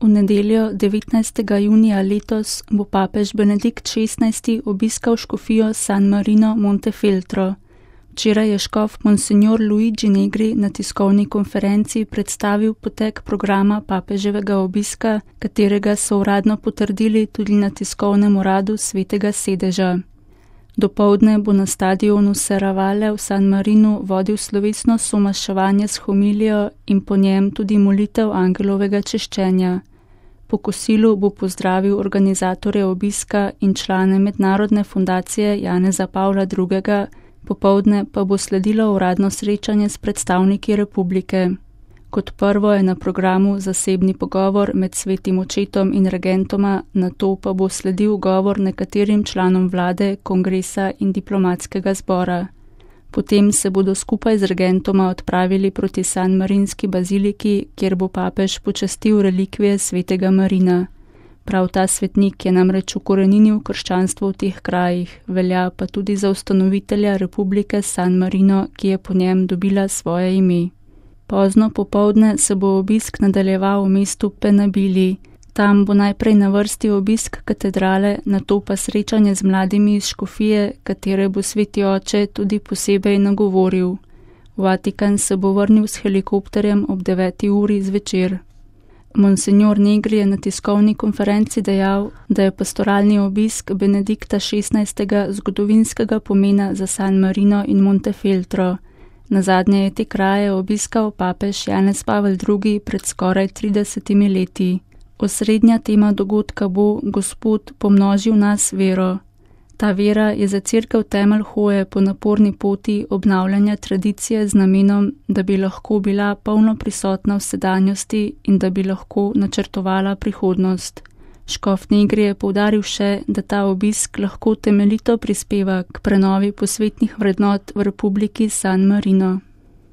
V nedeljo 19. junija letos bo papež Benedikt XVI obiskal škofijo San Marino Montefeltro. Včeraj je škof Monsignor Luigi Negri na tiskovni konferenci predstavil potek programa papeževega obiska, katerega so uradno potrdili tudi na tiskovnem uradu Svetega sedeža. Dopoldne bo na stadionu Serravalle v San Marinu vodil slovesno somaševanje s homilijo in po njem tudi molitev angelovega češčenja. Po kosilu bo pozdravil organizatorje obiska in člane mednarodne fundacije Janeza Pavla II., popoldne pa bo sledilo uradno srečanje s predstavniki republike. Kot prvo je na programu zasebni pogovor med svetim očetom in regentoma, nato pa bo sledil govor nekaterim članom vlade, kongresa in diplomatskega zbora. Potem se bodo skupaj z regentoma odpravili proti San Marinski baziliki, kjer bo papež počastil relikvije svetega Marina. Prav ta svetnik je namreč ukoreninil krščanstvo v teh krajih, velja pa tudi za ustanovitelja republike San Marino, ki je po njem dobila svoje ime. Pozno popoldne se bo obisk nadaljeval v mestu Penabili. Tam bo najprej na vrsti obisk katedrale, nato pa srečanje z mladimi iz škofije, katere bo sveti oče tudi posebej nagovoril. V Vatikan se bo vrnil s helikopterjem ob 9. uri zvečer. Monsignor Negri je na tiskovni konferenci dejal, da je pastoralni obisk Benedikta XVI. Zgodovinskega pomena za San Marino in Montefeltro. Nazadnje je te kraje obiskal papež Janez Pavel II. Pred skoraj 30 leti. Osrednja tema dogodka bo Gospod pomnožil nas vero. Ta vera je za cerkev temelj hoje po naporni poti obnavljanja tradicije z namenom, da bi lahko bila polno prisotna v sedanjosti in da bi lahko načrtovala prihodnost. Škof Negri je poudaril še, da ta obisk lahko temeljito prispeva k prenovi posvetnih vrednot v republiki San Marino.